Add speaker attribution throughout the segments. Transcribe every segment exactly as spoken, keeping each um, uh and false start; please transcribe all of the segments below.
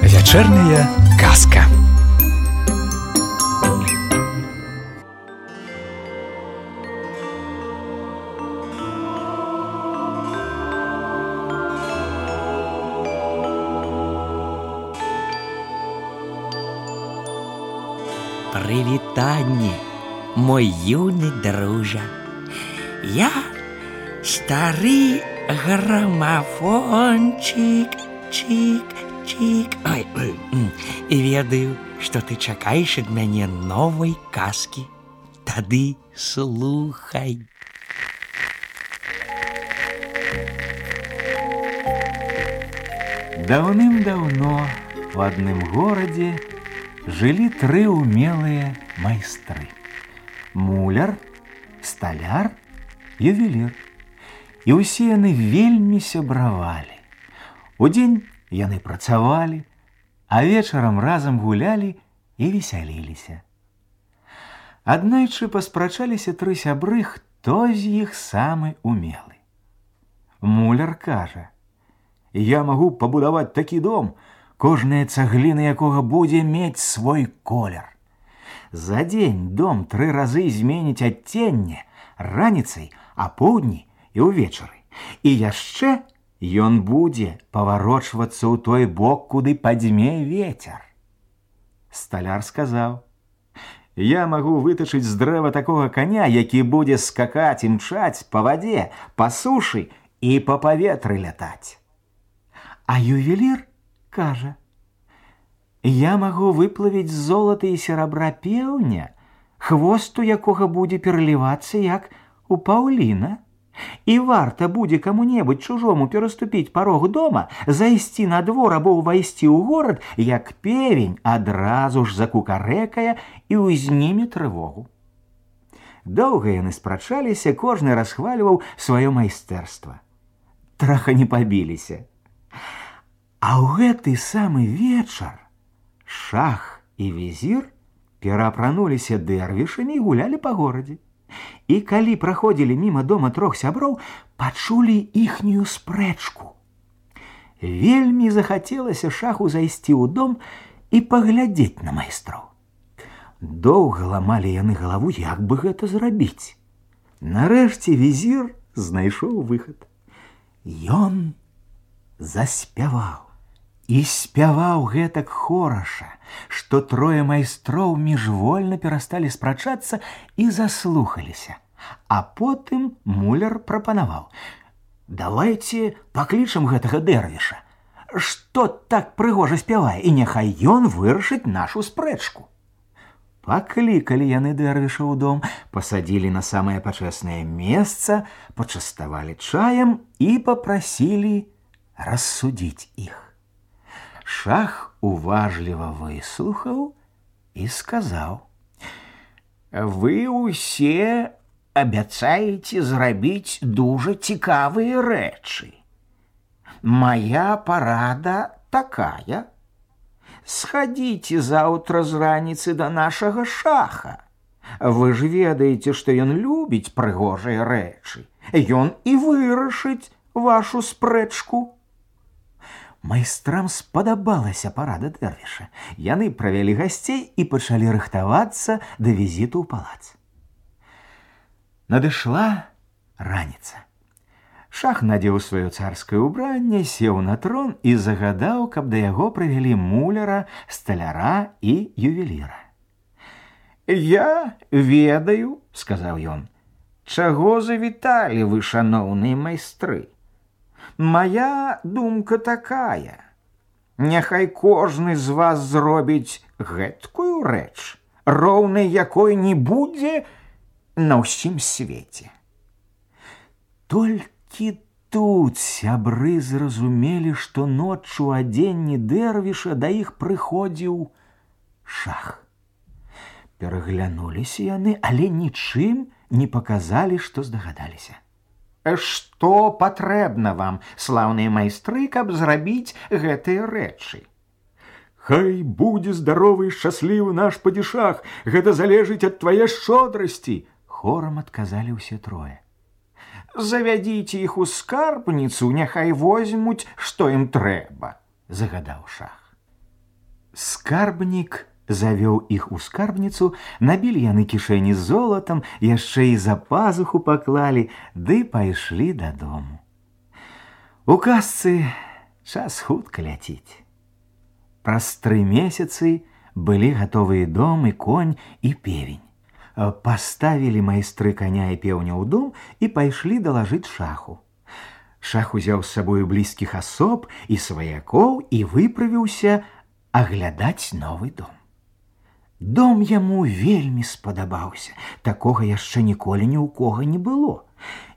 Speaker 1: Вечерняя казка.
Speaker 2: Прывітанне, мой юны дружа. Я стары грамафончик, чик, чик. Ой, ой, і ведаю, што ты чакаеш ад мяне новай казкі. Тады слухай.
Speaker 3: Даўным-даўно у адным горадзе жылі тры умелыя майстры: муляр, сталяр, ювелір. І ўсе яны вельмі сябравалі. Удзень яны працавалі, а вечарам разам гулялі і весяліліся. Аднойчы паспрачаліся тры сябры, хто з іх самы умелы. Муляр кажа: «Я магу пабудаваць такі дом, кожная цагліна якога будзе мець свой колер. За дзень дом тры разы зменіць адценне, раніцай, апоўдні і ўвечары. І яшчэ ён будзе паварочвацца ў той бок, куды падзьме вецер». Сталяр сказаў: «Я магу вытачыць з дрэва такога каня, які будзе скакаць і мчаць па вадзе, па сушы і па паветры лятаць». А ювелір кажа: «Я магу выплавіць з золата і серабра пеўня, хвосту якога будзе пералівацца, як у паўліна. І варта будзе каму-небудзь чужому пераступіць парог дома, зайсці на двор або ўвайсці ў горад, як певень адразу ж закукарэкае і ўзніме трывогу». Доўга яны спрачаліся, кожны расхвальваў сваё майстэрства. Траха не пабіліся. А ў гэты самы вечар шах і візір пераапрануліся дэрвішамі і гулялі па горадзе. І калі праходзілі міма дома трох сяброў, пачулі іхнюю спрэчку. Вельмі захацелася шаху зайсці ў дом і паглядзець на майстроў. Доўга ламалі яны галаву, як бы гэта зрабіць. Нарэшце візір знайшоў выхад. Ён заспяваў. І спяваў гэтак хораша, што трое майстроў міжвольна перасталі спрачацца і заслухаліся. А потым муляр прапанаваў: «Давайце паклічам гэтага дэрвіша, што так прыгожа спявае, і няхай ён вырашыць нашу спрэчку». Паклікалі яны дэрвіша ў дом, пасадзілі на самае пачэснае месца, пачаставалі чаем і папрасілі рассудзіць іх. Шах уважліва выслухаў і сказаў: «Вы ўсе абяцаеце зрабіць дужа цікавыя рэчы. Мая парада такая: схадзіце заўтра з раніцы да нашага шаха. Вы ж ведаеце, што ён любіць прыгожыя рэчы. Ён і вырашыць вашу спрэчку». Майстрам спадабалася парада дэрвіша. Яны правялі гасцей і пачалі рыхтавацца да візіту ў палац. Надышла раніца. Шах надзеў сваё царскае ўбранне, сеў на трон і загадаў, каб да яго прывялі муляра, сталяра і ювеліра. «Я ведаю, — сказаў ён, — чаго завіталі вы, шаноўныя майстры. Моя думка такая: няхай кожны з вас зробіць гэткую рэч, роўнай якой не будзе на ўсім свеце». Толькі тут сябры зразумелі, што ноччу ў адзенні дэрвіша да іх прыходзіў шах. Пераглянуліся яны, але нічым не паказалі, што здагадаліся. «Што патрэбна вам, слаўныя майстры, каб зрабіць гэтыя рэчы?» Хай будзе здаровы і шчаслівы наш падзішах, гэта залежыць ад твае шчодрасці, хорам адказалі ўсе трое. Завядзіце іх у скарбніцу, няхай возьмуць, што ім трэба, загадаў шах. Скарбнік завёў іх у скарбніцу, набілі яны кішэні золатам, яшчэ і за пазуху паклалі, ды пайшлі дадому. У казцы час хутка ляціць. Праз тры месяцы былі гатовыя дом і конь і певень. Паставілі майстры каня і пеўня ў дом і пайшлі далажыць шаху. Шах узяў з сабою блізкіх асоб і сваякоў і выправіўся аглядаць новы дом. Дом яму вельмі спадабаўся, такога яшчэ ніколі ні ў кога не было.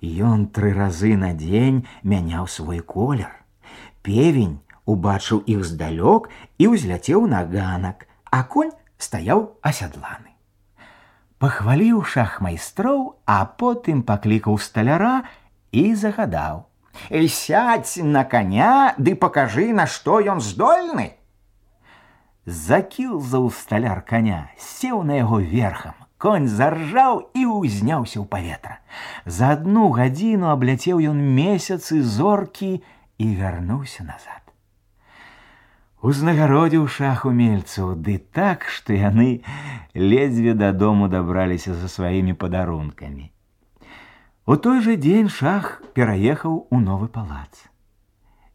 Speaker 3: Ён тры разы на дзень мяняў свой колер. Певень убачыў іх здалёк і ўзляцеў на ганак, а конь стаяў асядланы. Пахваліў шах майстроў, а потым паклікаў сталяра і загадаў: «Сядзь на коня ды пакажы, на што ён здольны». Закілзаў сталяр коня, сеў на яго верхам. Конь заржаў і ўзняўся ў паветра. За адну гадзіну абляцеў ён месяцы, зоркі і вярнуўся назад. Узнагародзіў шах умельцаў, ды так, што яны ледзьве дадому дабраліся за сваімі падарункамі. У той жа дзень шах пераехаў у новы палац.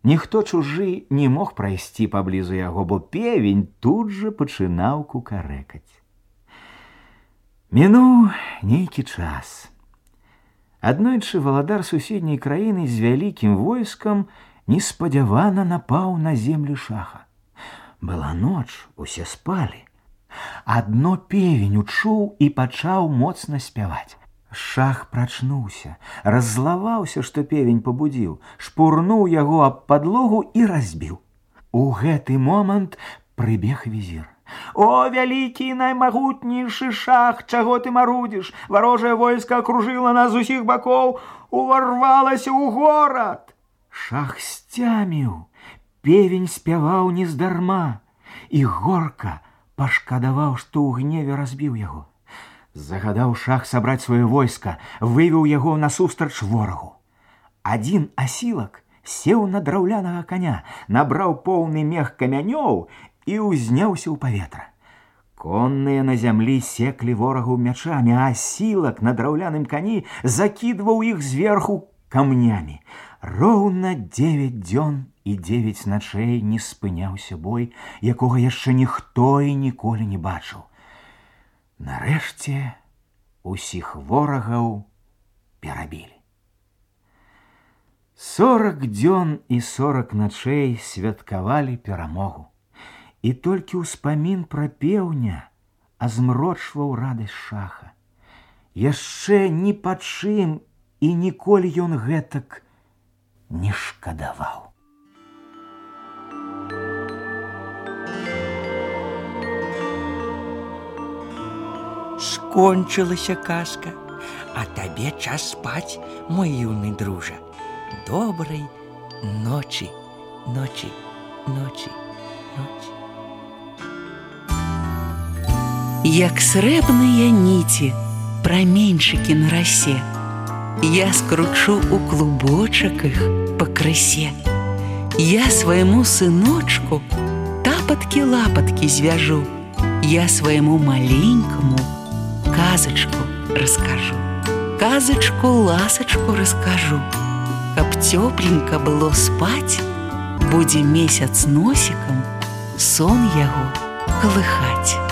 Speaker 3: Ніхто чужы не мог прайсці паблізу яго, бо певень тут жа пачынаў кукарэкаць. Мінуў нейкі час. Аднойчы валадар суседняй краіны з вялікім войскам неспадзявана напаў на землі шаха. Была ноч, усе спалі. Адно певень учуў і пачаў моцна спяваць. Шах прачнуўся, раззлаваўся, што певень пабудзіў, шпурнуў яго аб падлогу і разбіў. У гэты момант прыбег візір. «О, вялікі і наймагутнейшы шах, чаго ты марудзіш? Варожае войска акружыла нас з усіх бакоў, уварвалася ў горад!» Шах сцяміў, певень спяваў нездарма, і горка пашкадаваў, што ў гневе разбіў яго. Загадаў шах сабраць сваё войска, вывеў яго насустрач ворагу. Адзін асілак сеў на драўлянага коня, набраў поўны мех камянёў і ўзняўся ў паветра. Конныя на зямлі секлі ворагаў мячамі, а асілак на драўляным кані закідваў іх зверху камнямі. Роўна дзевяць дзён і дзевяць начэй не спыняўся бой, якога яшчэ ніхто і ніколі не бачыў. Нарэшце усіх ворагаў перабілі. Сорак дзён і сорак начэй святкавалі перамогу. І толькі ўспамін пра пеўня азмрочваў радасць шаха. Яшчэ ні па чым і ніколі ён гэтак не шкадаваў.
Speaker 2: Скончылася казка, а табе час спаць, мой юны дружа. Добрай ночі, ночі, ночі, ночі.
Speaker 4: Як срэбныя ніці, праменьчыкі на расе, я скручу у клубочак іх пакрысе. Я свайму сыночку тапаткі-лапаткі звяжу, я свайму маленькаму казачку раскажу, казачку-ласачку раскажу. Каб цёпленька было спаць, будзе месяц носікам сон яго калыхаць.